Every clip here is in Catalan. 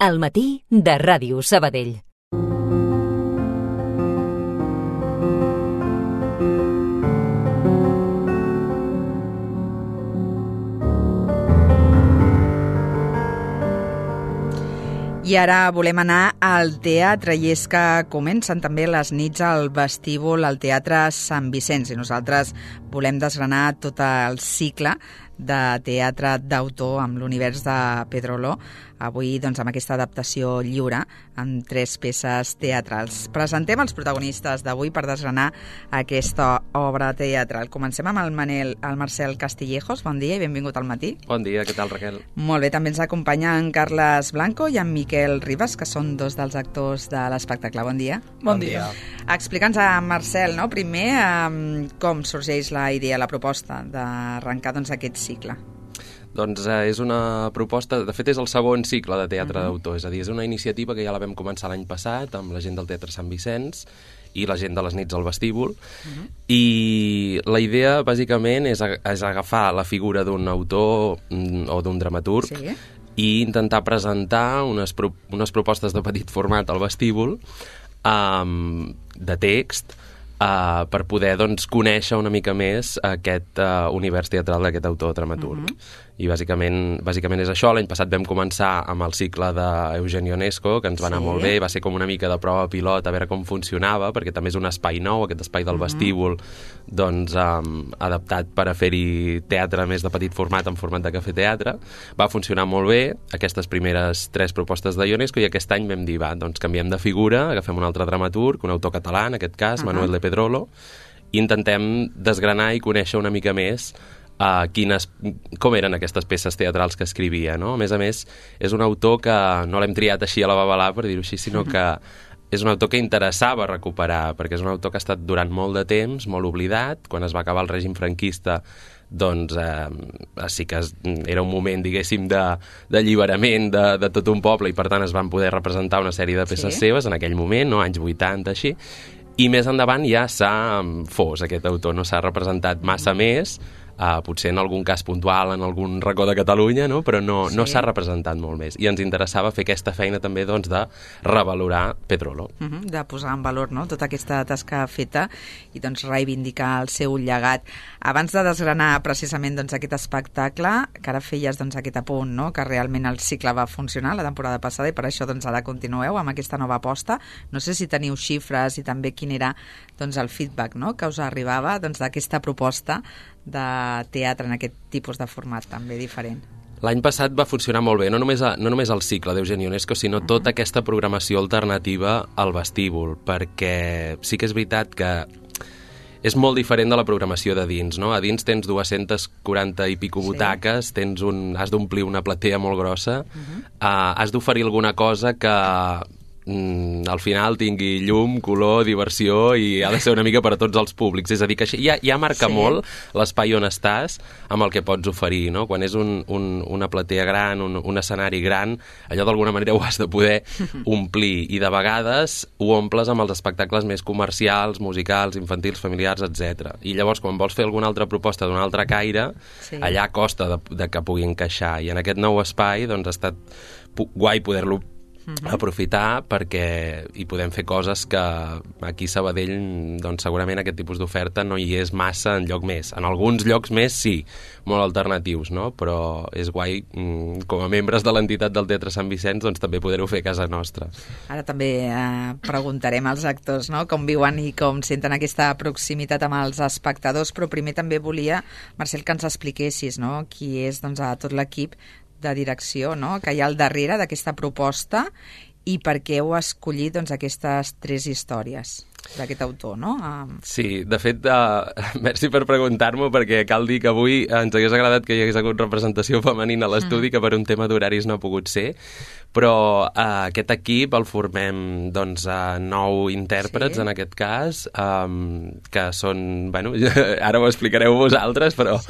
Al matí de Ràdio Sabadell. I ara volem anar al teatre, i és que comencen també les nits al vestíbul al Teatre Sant Vicenç, i nosaltres volem desgranar tot el cicle de teatre d'autor amb l'univers de Pedrolo, avui doncs, amb aquesta adaptació lliure amb 3 peces teatrals. Presentem els protagonistes d'avui per desgranar aquesta obra teatral. Comencem amb el Marcel Castillejos. Bon dia i benvingut al matí. Bon dia, què tal, Raquel? Molt bé, també ens acompanya en Carles Blanco i en Miquel Ribas, que són 2 dels actors de l'espectacle. Bon dia. Bon dia. Explica'ns a Marcel, no? Primer, com sorgeix la idea, la proposta d'arrencar aquest cicle. Doncs és una proposta, de fet és el segon cicle de teatre d'autor, és a dir, és una iniciativa que ja la vam començar l'any passat amb la gent del Teatre Sant Vicenç i la gent de les nits al vestíbul, i la idea bàsicament és agafar la figura d'un autor o d'un dramaturg i intentar presentar unes propostes de petit format al vestíbul de text, per poder conèixer una mica més aquest univers teatral d'aquest autor dramaturg. I bàsicament és això. L'any passat vam començar amb el cicle d'Eugenio Ionesco, que ens va anar molt bé, va ser com una mica de prova pilot a veure com funcionava, perquè també és un espai nou, aquest espai del vestíbul, adaptat per a fer-hi teatre més de petit format, en format de cafè-teatre. Va funcionar molt bé aquestes primeres 3 propostes de Ionesco, i aquest any vam dir, canviem de figura, agafem un altre dramaturg, un autor català, en aquest cas, Manuel de Pedrolo, i intentem desgranar i conèixer una mica més com eren aquestes peces teatrals que escrivia, no? A més, és un autor que no l'hem triat així a la babalà, per dir-ho així, sinó que és un autor que interessava recuperar, perquè és un autor que ha estat durant molt de temps, molt oblidat. Quan es va acabar el règim franquista, doncs sí que era un moment, diguéssim, d'alliberament de tot un poble, i per tant es van poder representar una sèrie de peces seves en aquell moment, no? Anys 80, així. I més endavant ja s'ha fos aquest autor, no s'ha representat massa més, potser en algun cas puntual, en algun racó de Catalunya, no? Però no s'ha representat molt més. I ens interessava fer aquesta feina també de revalorar Pedrolo. De posar en valor, no?, tota aquesta tasca feta i reivindicar el seu llegat. Abans de desgranar precisament aquest espectacle, que ara feies aquest apunt, no?, que realment el cicle va funcionar la temporada passada, i per això ara continueu amb aquesta nova aposta. No sé si teniu xifres i també quin era el feedback, no?, que us arribava d'aquesta proposta de teatre en aquest tipus de format també diferent. L'any passat va funcionar molt bé, no només el cicle d'Eugenio Ionesco, sinó tota aquesta programació alternativa al vestíbul, perquè sí que és veritat que és molt diferent de la programació de dins, no? A dins tens 240 i pico butaques, has d'omplir una platea molt grossa, has d'oferir alguna cosa que al final tingui llum, color, diversió, i ha de ser una mica per a tots els públics. És a dir, que ja marca molt l'espai on estàs amb el que pots oferir, no? Quan és una platea gran, un escenari gran, allò d'alguna manera ho has de poder omplir, i de vegades ho omples amb els espectacles més comercials, musicals, infantils, familiars, etc. I llavors, quan vols fer alguna altra proposta d'un altre caire, allà costa de que pugui encaixar, i en aquest nou espai ha estat guai poder-lo aprofitar, perquè hi podem fer coses que aquí a Sabadell segurament aquest tipus d'oferta no hi és massa enlloc més. En alguns llocs més sí, molt alternatius, no? Però és guai, com a membres de l'entitat del Teatre Sant Vicenç, també poder-ho fer a casa nostra. Ara també preguntarem als actors, no?, com viuen i com senten aquesta proximitat amb els espectadors, però primer també volia, Marcel, que ens expliquessis, no?, qui és tot l'equip de direcció, no?, que hi ha al darrere d'aquesta proposta, i per què heu escollit aquestes 3 històries d'aquest autor, no? Sí, de fet, merci per preguntar-m'ho, perquè cal dir que avui ens hagués agradat que hi hagués hagut representació femenina a l'estudi, que per un tema d'horaris no ha pogut ser, però aquest equip el formem 9 intèrprets, en aquest cas, que són, ara ho explicareu vosaltres, però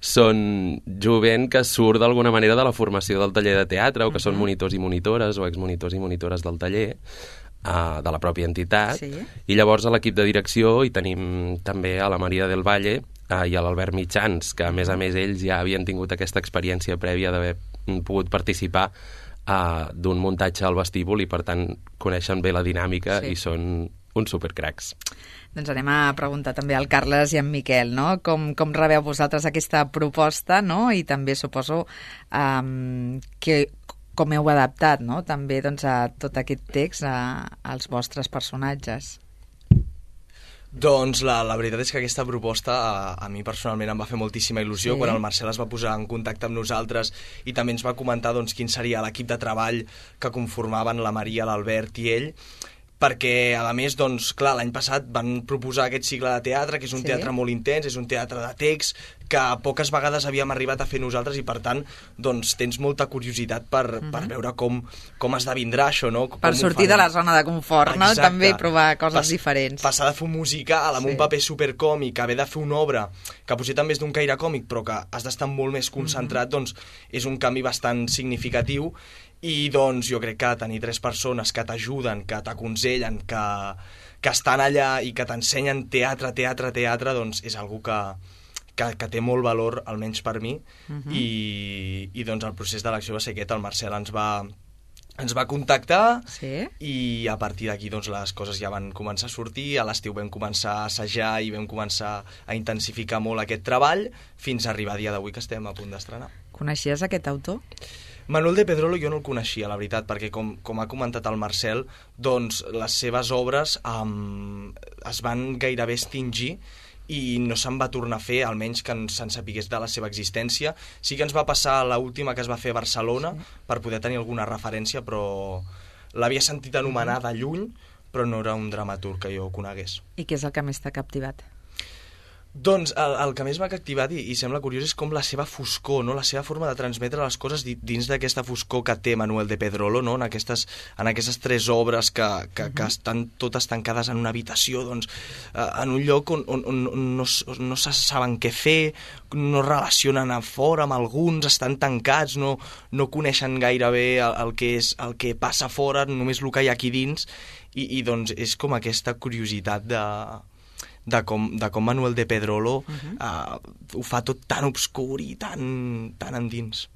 són jovent que surt d'alguna manera de la formació del taller de teatre, o que són monitors i monitores, o exmonitors i monitores del taller, de la pròpia entitat, i llavors a l'equip de direcció hi tenim també a la Maria del Valle i a l'Albert Mitjans, que a més ells ja havien tingut aquesta experiència prèvia d'haver pogut participar d'un muntatge al vestíbul i per tant coneixen bé la dinàmica i són uns supercracs. Doncs anem a preguntar també al Carles i en Miquel, no? Com rebeu vosaltres aquesta proposta, no? I també suposo que com heu adaptat, no? També doncs, a tot aquest text als vostres personatges. Doncs la veritat és que aquesta proposta a mi personalment em va fer moltíssima il·lusió quan el Marcel es va posar en contacte amb nosaltres i també ens va comentar doncs, quin seria l'equip de treball que conformaven la Maria, l'Albert i ell, perquè, a més, doncs, clar, l'any passat van proposar aquest cicle de teatre, que és un teatre molt intens, és un teatre de text, que poques vegades havíem arribat a fer nosaltres i, per tant, doncs, tens molta curiositat per veure com esdevindrà això, no? Per sortir de la zona de confort, no? També provar coses diferents. Passar de fer un musical amb un paper supercòmic, haver de fer una obra que potser també és d'un caire còmic, però que has d'estar molt més concentrat, doncs, és un canvi bastant significatiu. I doncs jo crec que tenir 3 persones que t'ajuden, que t'aconsellen, que estan allà i que t'ensenyen teatre, doncs és algo que té molt valor, almenys per mi, i doncs el procés d'elecció va ser aquest. El Marcel ens va contactar i a partir d'aquí doncs, les coses ja van començar a sortir. A l'estiu vam començar a assajar i vam començar a intensificar molt aquest treball fins a arribar a dia d'avui que estem a punt d'estrenar. Coneixies aquest autor? Manuel de Pedrolo jo no el coneixia, la veritat, perquè com ha comentat el Marcel, doncs les seves obres es van gairebé extingir i no se'n va tornar a fer, almenys que se'n sapigués de la seva existència. Sí que ens va passar l'última que es va fer a Barcelona per poder tenir alguna referència, però l'havia sentit anomenar de lluny, però no era un dramaturg que jo conegués. I què és el que més t'ha captivat? Doncs el que més m'ha captivat i sembla curiós és com la seva foscor, no? La seva forma de transmetre les coses dins d'aquesta foscor que té Manuel de Pedrolo, no? En aquestes 3 obres que estan totes tancades en una habitació, doncs, en un lloc on no se saben què fer, no relacionen a fora amb alguns, estan tancats, no coneixen gairebé el que passa fora, només el que hi ha aquí dins, i doncs és com aquesta curiositat de com Manuel de Pedrolo ho fa tot tan obscur i tan endins.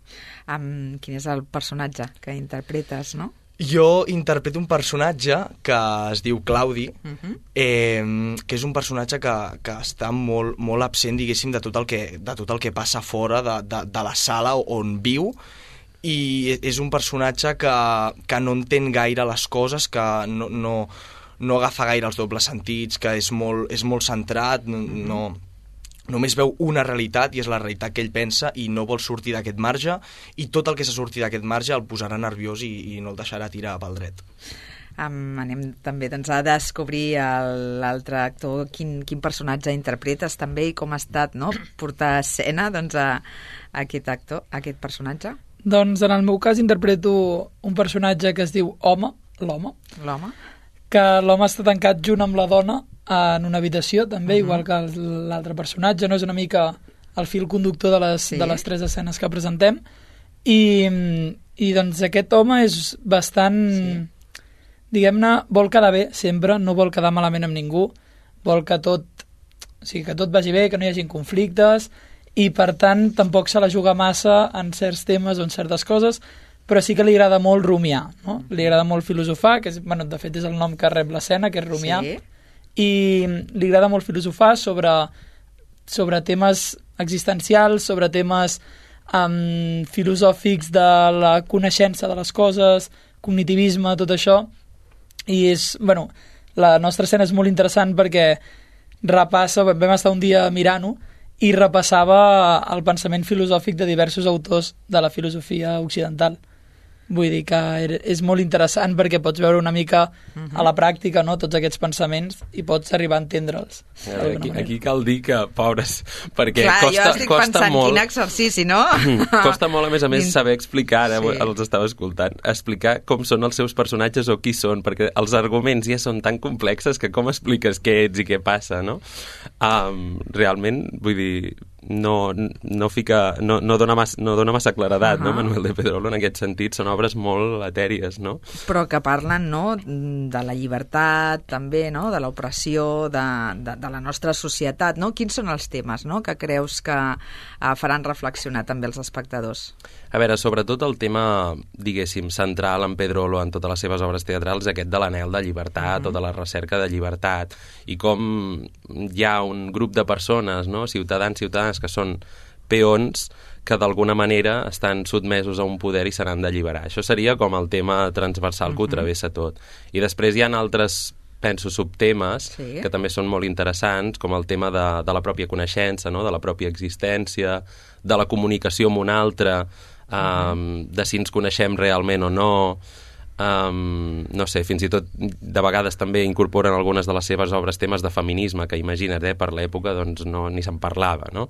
Quin és el personatge que interpretes, no? Jo interpreto un personatge que es diu Claudi, que és un personatge que està molt, molt absent, diguéssim, de tot el que passa fora de la sala on viu, i és un personatge que no entén gaire les coses, que no agafa gaire els dobles sentits, que és molt centrat, només veu una realitat i és la realitat que ell pensa i no vol sortir d'aquest marge, i tot el que s'ha sortit d'aquest marge el posarà nerviós i no el deixarà tirar pel dret. Anem també doncs, a descobrir l'altre actor, quin personatge interpretes també i com ha estat, no? Portar a escena doncs, a aquest actor, a aquest personatge. Doncs en el meu cas interpreto un personatge que es diu Home, l'home, que l'home està tancat junt amb la dona en una habitació, també, igual que l'altre personatge, no? És una mica el fil conductor de les 3 escenes que presentem, i doncs aquest home és bastant, diguem-ne, vol quedar bé sempre, no vol quedar malament amb ningú, vol que tot vagi bé, que no hi hagi conflictes, i per tant tampoc se la juga massa en certs temes o en certes coses, però sí que li agrada molt rumiar, no? Li agrada molt filosofar, que de fet és el nom que rep l'escena, que és rumiar, i li agrada molt filosofar sobre temes existencials, sobre temes filosòfics de la coneixença de les coses, cognitivisme, tot això, i la nostra escena és molt interessant perquè repassa, vam estar un dia mirant-ho, i repassava el pensament filosòfic de diversos autors de la filosofia occidental. Vull dir que és molt interessant perquè pots veure una mica a la pràctica, no?, tots aquests pensaments i pots arribar a entendre'ls. Aquí cal dir que, pobres, perquè clar, costa molt... jo estic pensant quin exercici, no? Costa molt, a més, saber explicar, els estava escoltant, explicar com són els seus personatges o qui són, perquè els arguments ja són tan complexes que com expliques què ets i què passa, no? Realment, vull dir, no dona massa claredat, no? Manuel de Pedrolo, en aquest sentit, són obres molt etèries, no? Però que parlen, no?, de la llibertat, també, no?, de l'opressió, de la nostra societat, no? Quins són els temes, no?, que creus que faran reflexionar també els espectadors? A veure, sobretot el tema, diguéssim, central en Pedrolo, en totes les seves obres teatrals, aquest de l'anhel de llibertat, o de la recerca de llibertat, i com hi ha un grup de persones, no?, ciutadans que són peons que d'alguna manera estan sotmesos a un poder i se n'han d'alliberar. Això seria com el tema transversal que ho travessa tot. I després hi ha altres, penso, subtemes que també són molt interessants, com el tema de la pròpia coneixença, no?, de la pròpia existència, de la comunicació amb un altre, de si ens coneixem realment o no, no sé, fins i tot de vegades també incorporen algunes de les seves obres temes de feminisme, que imagina't, per l'època doncs ni se'n parlava, no?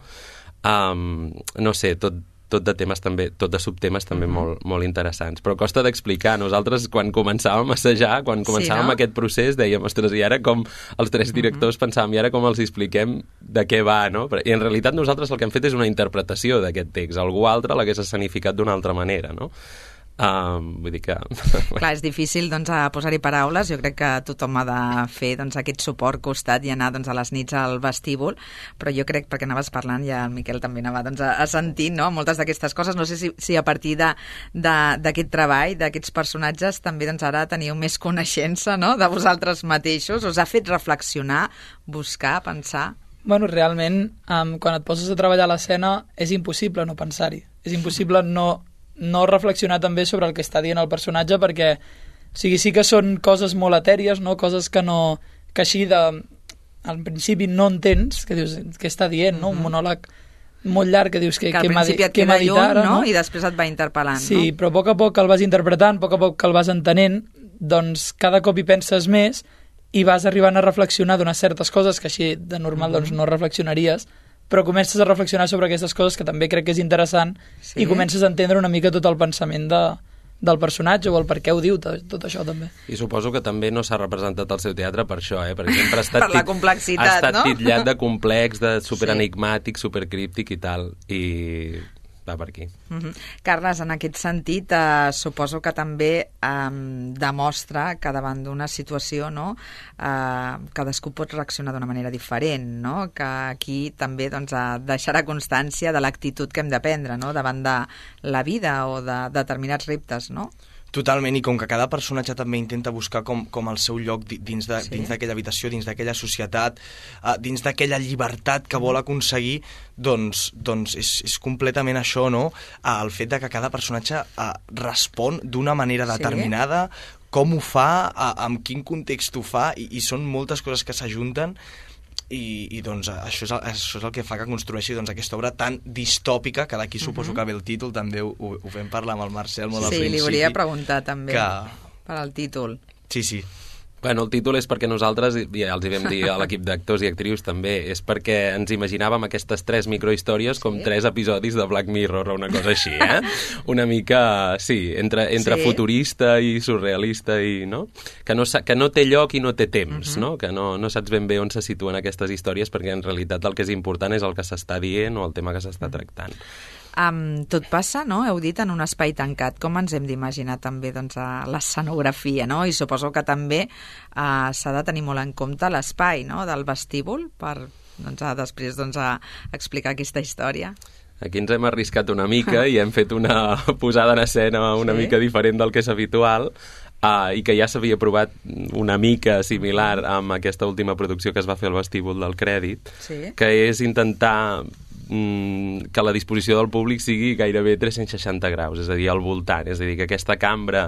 No sé, tot de temes també, tot de subtemes també molt interessants, però costa d'explicar. Nosaltres quan començàvem a assajar, quan començàvem aquest procés, dèiem, ostres, i ara com els tres directors pensàvem, i ara com els expliquem de què va, no? I en realitat nosaltres el que hem fet és una interpretació d'aquest text, algú altre l'hagués escenificat d'una altra manera, no? Vull dir que... Clar, és difícil doncs, posar-hi paraules. Jo crec que tothom ha de fer doncs, aquest suport costat i anar doncs, a les nits al vestíbul, però jo crec, perquè anaves parlant, ja el Miquel també anava doncs, a sentir, no?, moltes d'aquestes coses. No sé si a partir d'aquest treball, d'aquests personatges, també doncs, ara teniu més coneixença, no?, de vosaltres mateixos. Us ha fet reflexionar, buscar, pensar? Bueno, realment, quan et poses a treballar a l'escena és impossible no pensar-hi. És impossible no reflexionar també sobre el que està dient el personatge, perquè o sigui, sí que són coses molt etèries, no? Coses que així al principi no entens, que dius, què està dient, no? Un monòleg molt llarg que dius que al principi et queda lluny, no? I després et va interpel·lant, sí, no? Però a poc que el vas interpretant, a poc que el vas entenent, doncs cada cop hi penses més i vas arribant a reflexionar d'unes certes coses que així de normal doncs, no reflexionaries, però comences a reflexionar sobre aquestes coses que també crec que és interessant i comences a entendre una mica tot el pensament del personatge o el per què ho diu, tot això també. I suposo que també no s'ha representat el seu teatre per això, perquè sempre ha estat, per la complexitat, ha estat titllat de complex, de superenigmàtic, supercríptic i tal, i va per aquí. Carles, en aquest sentit, suposo que també demostra que davant d'una situació, no, cadascú pot reaccionar d'una manera diferent, no? Que aquí també doncs, deixarà constància de l'actitud que hem de prendre, no?, davant de la vida o de determinats reptes, no? Totalment, i com que cada personatge també intenta buscar com el seu lloc dins d'aquella habitació, dins d'aquella societat, dins d'aquella llibertat que vol aconseguir, doncs és completament això, no? El fet de que cada personatge respon d'una manera determinada, com ho fa, en quin context ho fa, i són moltes coses que s'ajunten, i doncs això és el que fa que construeixi doncs, aquesta obra tan distòpica, que d'aquí suposo que ve el títol, també ho vam parlar amb el Marcel molt al principi. Sí, li volia preguntar també per al títol. Sí. Bueno, el títol és perquè nosaltres, ja els hi vam dir a l'equip d'actors i actrius també, és perquè ens imaginàvem aquestes 3 microhistòries com 3 episodis de Black Mirror o una cosa així, Una mica, sí, entre futurista i surrealista, i no? Que no té lloc i no té temps, no? Que no saps ben bé on se situen aquestes històries, perquè en realitat el que és important és el que s'està dient o el tema que s'està tractant. Tot passa, no?, heu dit, en un espai tancat. Com ens hem d'imaginar també doncs, l'escenografia, no? I suposo que també s'ha de tenir molt en compte l'espai, no?, del vestíbul per després explicar aquesta història. Aquí ens hem arriscat una mica i hem fet una posada en escena una mica diferent del que és habitual, i que ja s'havia provat una mica similar amb aquesta última producció que es va fer al vestíbul del Crèdit, que és intentar que la disposició del públic sigui gairebé 360 graus, és a dir, al voltant, és a dir, que aquesta cambra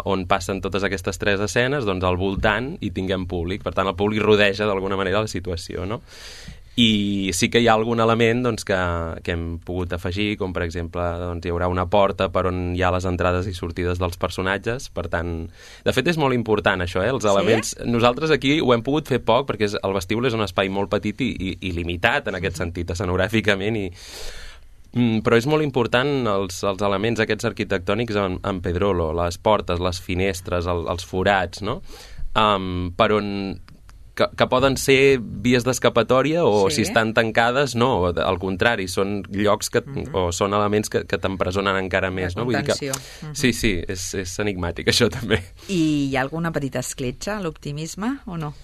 on passen totes aquestes 3 escenes, doncs al voltant hi tinguem públic, per tant el públic rodeja d'alguna manera la situació, no? I sí que hi ha algun element doncs, que hem pogut afegir, com per exemple doncs, hi haurà una porta per on hi ha les entrades i sortides dels personatges, per tant, de fet és molt important això, els elements. Nosaltres aquí ho hem pogut fer poc perquè el vestíbul és un espai molt petit i limitat en aquest sentit, escenogràficament, però és molt important els elements aquests arquitectònics en Pedrolo, les portes, les finestres, els forats, no? Per on que poden ser vies d'escapatòria o si estan tancades, no, al contrari, són llocs o són elements que t'empresonen encara més. No? Vull dir que, sí, és enigmàtic això també. I hi ha alguna petita escletxa a l'optimisme o no?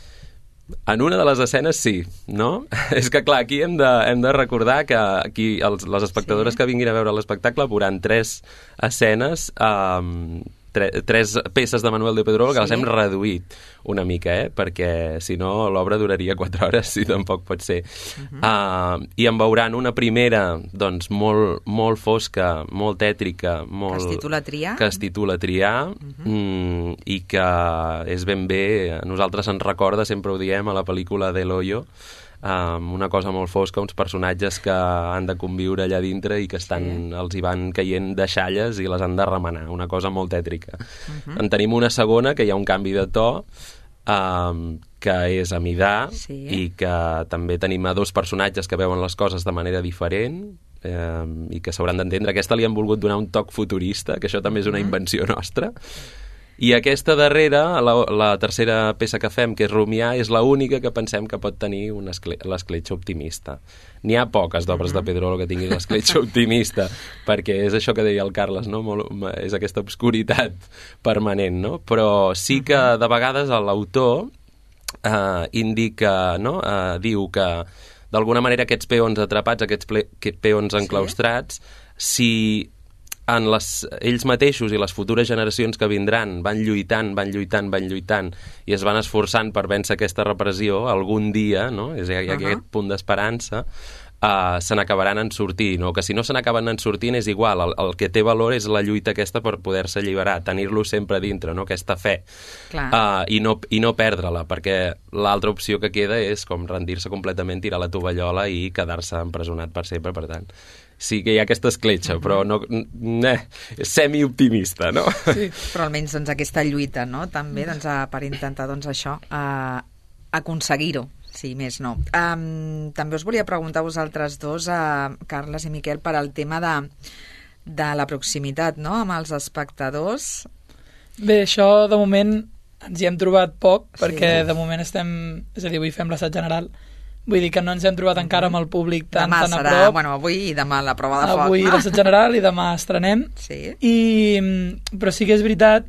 En una de les escenes sí, no? És que clar, aquí hem de recordar que aquí les espectadores que vinguin a veure l'espectacle veuran 3 escenes, 3 peces de Manuel de Pedrolo que les hem reduït una mica, perquè si no l'obra duraria 4 hores i tampoc pot ser. I en veuran una primera doncs molt fosca, molt tètrica, que es titula Triar, i que és ben bé, a nosaltres ens recorda, sempre ho diem, a la pel·lícula d'El Hoyo, una cosa molt fosca, uns personatges que han de conviure allà dintre i que els hi van caient deixalles i les han de remenar, una cosa molt tètrica. En tenim una segona, que hi ha un canvi de to, que és Amidà, i que també tenim a 2 personatges que veuen les coses de manera diferent, i que s'hauran d'entendre. Aquesta li han volgut donar un toc futurista, que això també és una invenció nostra. I aquesta darrera, la tercera peça que fem, que és Rumiar, és l'única que pensem que pot tenir l'escletxa optimista. N'hi ha poques d'obres de Pedrolo que tinguin l'escletxa optimista, perquè és això que deia el Carles, no? És aquesta obscuritat permanent, no? Però sí que de vegades l'autor indica, no? Diu que d'alguna manera aquests peons atrapats, aquests peons enclaustrats, si ells mateixos i les futures generacions que vindran van lluitant i es van esforçant per vèncer aquesta repressió, algun dia, no? Hi ha aquest punt d'esperança, se n'acabaran en sortint, o que si no se n'acaben en sortint és igual, el que té valor és la lluita aquesta per poder-se alliberar, tenir-lo sempre dintre, no? Aquesta fe, i no perdre-la, perquè l'altra opció que queda és com rendir-se completament, tirar la tovallola i quedar-se empresonat per sempre. Per tant, sí que hi ha aquesta escletxa, però no, semi-optimista, no? Sí, però almenys doncs, aquesta lluita, no? També per intentar això, aconseguir-ho, si més no. També us volia preguntar a vosaltres dos, Carles i Miquel, per al tema de la proximitat, no?, amb els espectadors. Bé, això de moment ens hi hem trobat poc, perquè de moment estem, és a dir, avui fem l'assaig general. Vull dir que no ens hem trobat encara amb el públic tan a prop. Demà serà, avui i demà la prova de foc. Avui l'assaig general i demà estrenem. Però sí que és veritat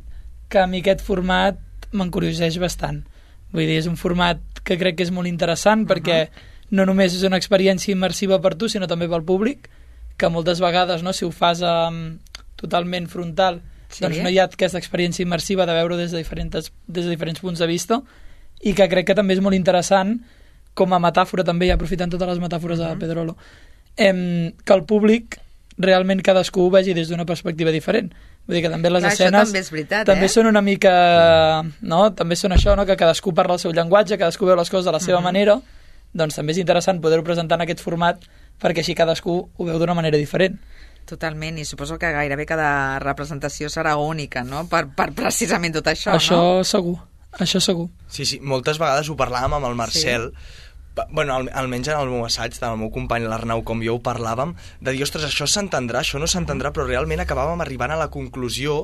que a mi aquest format m'encurioseix bastant. Vull dir, és un format que crec que és molt interessant perquè no només és una experiència immersiva per tu, sinó també pel públic, que moltes vegades, no, si ho fas totalment frontal, doncs no hi ha aquesta experiència immersiva de veure des de diferents punts de vista, i que crec que també és molt interessant com a metàfora també, i aprofitant totes les metàfores de Pedrolo, que el públic realment cadascú ho vegi des d'una perspectiva diferent. Vull dir que també les escenes també és veritat, també són una mica, no? També són això, no? Que cadascú parla el seu llenguatge, cadascú veu les coses de la seva manera, doncs també és interessant poder-ho presentar en aquest format perquè així cadascú ho veu d'una manera diferent. Totalment, i suposo que gairebé cada representació serà única, no? Per precisament tot això, això no? Això segur. Sí, moltes vegades ho parlàvem amb el Marcel, bueno, almenys en el meu assaig, tant el meu company l'Arnau com jo ho parlàvem, de dir, ostres, això s'entendrà, això no s'entendrà, però realment acabàvem arribant a la conclusió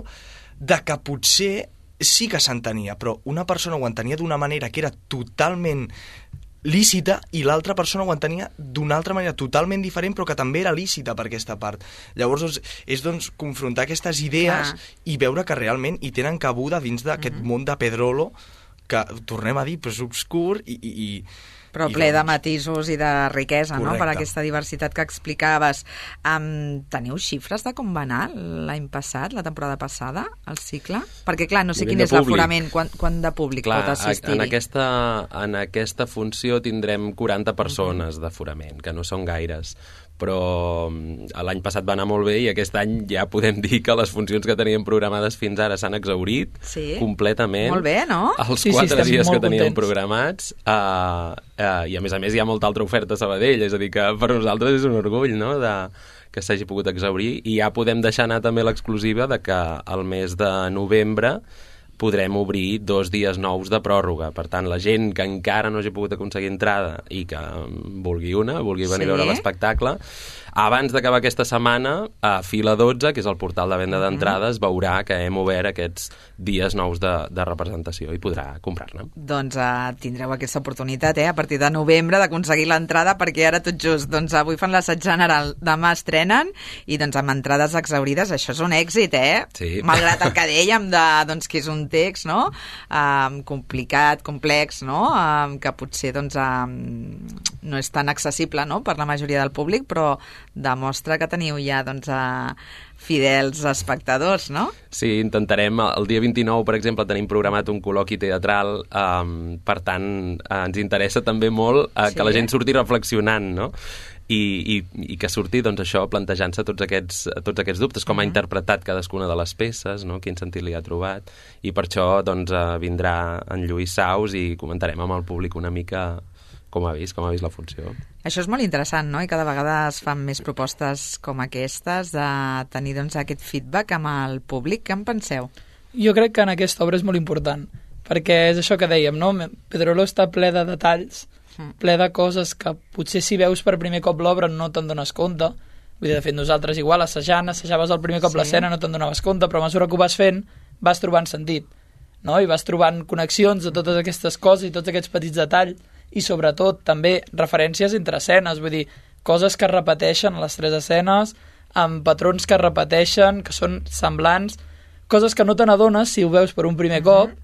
de que potser sí que s'entenia, però una persona ho entenia d'una manera que era totalment lícita i l'altra persona ho entenia d'una altra manera totalment diferent, però que també era lícita per aquesta part. Llavors és doncs confrontar aquestes idees i veure que realment hi tenen cabuda dins d'aquest món de Pedrolo, que tornem a dir, però és obscur però ple de matisos i de riquesa, no?, per aquesta diversitat que explicaves. Teniu xifres de com va anar l'any passat, la temporada passada, el cicle? Perquè, clar, no sé quin és l'aforament, quant de públic pot assistir-hi. En aquesta funció tindrem 40 persones d'aforament, que no són gaires, però l'any passat va anar molt bé i aquest any ja podem dir que les funcions que teníem programades fins ara s'han exhaurit completament. Molt bé, no? Els 4 dies que teníem programats, i a més hi ha molta altra oferta a Sabadell, és a dir que per nosaltres és un orgull, no?, que s'hagi pogut exhaurir, i ja podem deixar anar també l'exclusiva de que el mes de novembre podrem obrir 2 dies nous de pròrroga. Per tant, la gent que encara no hagi pogut aconseguir entrada i que vulgui venir a veure l'espectacle, abans d'acabar aquesta setmana, a Fila 12, que és el portal de venda d'entrades, veurà que hem obert aquests dies nous de representació i podrà comprar-ne. Doncs tindreu aquesta oportunitat, a partir de novembre, d'aconseguir l'entrada, perquè ara tot just, doncs avui fan l'assaig general, demà estrenen, i doncs amb entrades exhaurides, això és un èxit, Sí. Malgrat el que dèiem doncs, que és un text, no?, complicat, complex, no?, que potser, doncs, no és tan accessible, no?, per la majoria del públic, però demostra que teniu ja, doncs, fidels espectadors, no? Sí, intentarem. El dia 29, per exemple, tenim programat un col·loqui teatral, per tant, ens interessa també molt que la gent surti reflexionant, no? I que surti, doncs, això, plantejant-se tots aquests dubtes, com ha interpretat cadascuna de les peces, no? Quin sentit li ha trobat, i per això, doncs, vindrà en Lluís Saus i comentarem amb el públic una mica com ha vist la funció. Això és molt interessant, no? I cada vegada es fan més propostes com aquestes de tenir, doncs, aquest feedback amb el públic. Què en penseu? Jo crec que en aquesta obra és molt important, perquè és això que dèiem, no? Pedrolo està ple de detalls, ple de coses que potser si veus per primer cop l'obra no te'n dones compte. Vull dir, de fet, nosaltres igual assajaves el primer cop l'escena, no te'n donaves compte, però a mesura que ho vas fent vas trobant sentit, no? I vas trobant connexions de totes aquestes coses i tots aquests petits detalls, i sobretot també referències entre escenes, vull dir, coses que es repeteixen a les 3 escenes, amb patrons que es repeteixen, que són semblants, coses que no te n'adones si ho veus per un primer cop,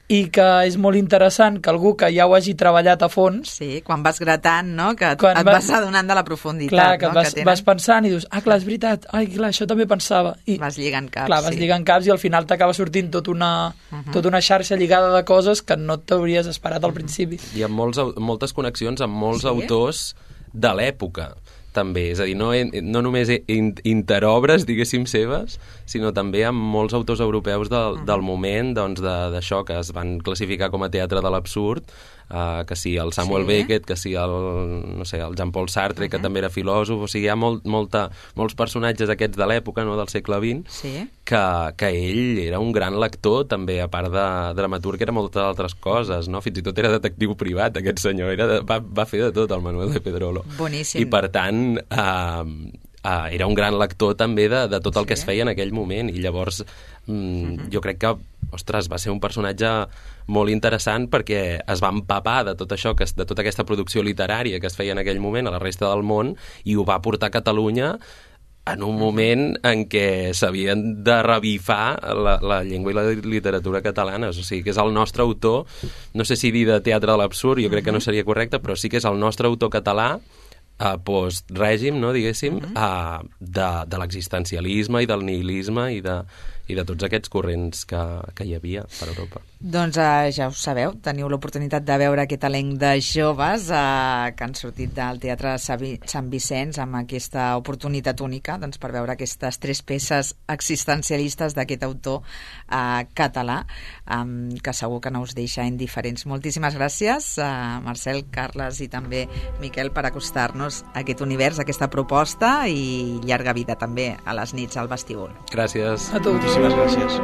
i que és molt interessant que algú que ja ho hagi treballat a fons... Sí, quan vas gratant, no?, que et vas adonant de la profunditat. Clar, que vas pensant i dius, clar, és veritat, clar, això també pensava. I, vas lligant caps, clar, vas lligant caps i al final t'acaba sortint tota una xarxa lligada de coses que no t'hauries esperat al principi. Hi ha moltes connexions amb molts autors de l'època, també, és a dir, no només interobres, diguéssim, seves, sinó també amb molts autors europeus del moment, doncs, d'això que es van classificar com a teatre de l'absurd, que sí el Samuel Beckett, que sí el Jean-Paul Sartre, que també era filòsof, o sigui, hi ha molts personatges aquests de l'època, no?, del segle XX, que ell era un gran lector, també, a part de dramaturg, era moltes altres coses, no? Fins i tot era detectiu privat, aquest senyor, va fer de tot, el Manuel de Pedrolo. Boníssim. I, per tant, era un gran lector també de tot el que es feia en aquell moment, i llavors jo crec que, ostres, va ser un personatge molt interessant perquè es va empapar de tot això, de tota aquesta producció literària que es feia en aquell moment a la resta del món, i ho va portar a Catalunya en un moment en què s'havien de revifar la llengua i la literatura catalanes. O sigui, que és el nostre autor, no sé si dir de teatre de l'absurd, jo crec que no seria correcte, però sí que és el nostre autor català post-règim, no, diguéssim, de l'existencialisme i del nihilisme i de tots aquests corrents que hi havia per Europa. Doncs ja ho sabeu, teniu l'oportunitat de veure aquest elenc de joves que han sortit del Teatre Sant Vicenç amb aquesta oportunitat única, doncs, per veure aquestes 3 peces existencialistes d'aquest autor català, que segur que no us deixa indiferents. Moltíssimes gràcies, Marcel, Carles i també Miquel, per acostar-nos a aquest univers, a aquesta proposta, i llarga vida també a les nits al vestíbul. Gràcies. A tu. Moltíssimes gràcies.